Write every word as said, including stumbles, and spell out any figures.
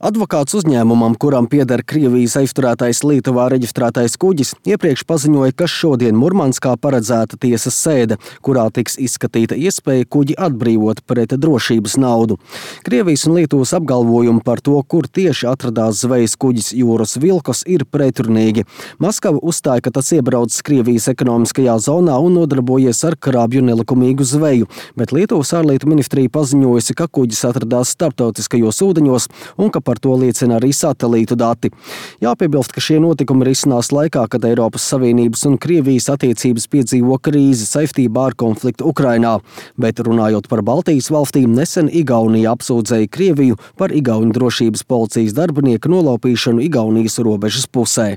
Advokāts uzņēmumam, kuram pieder Krievijas aizturētais Lietuvā reģistrētais kuģis, iepriekš paziņoja, ka šodien Murmanskā paredzēta tiesas sēde, kurā tiks izskatīta iespēja kuģi atbrīvot pret drošības naudu. Krievijas un Lietuvas apgalvojumi par to, kur tieši atradās zvejas kuģis Jūras Vilkos, ir pretrunīgi. Maskava uzstāja, ka tas iebraucis Krievijas ekonomiskajā zonā un nodarbojies ar krābju nelikumīgu zveju, bet Lietuvas ārlietu ministrija paziņojusi, ka kuģis atradās starptautiskajos ūdeņos un ka par to liecina arī satelītu dati. Jāpiebilst, ka šie notikumi risinās laikā, kad Eiropas Savienības un Krievijas attiecības piedzīvo krīzi saistībā ar konfliktu Ukrainā. Bet runājot par Baltijas valstīm, nesen Igaunija apsūdzēja Krieviju par igauņu drošības policijas darbinieku nolaupīšanu Igaunijas robežas pusē.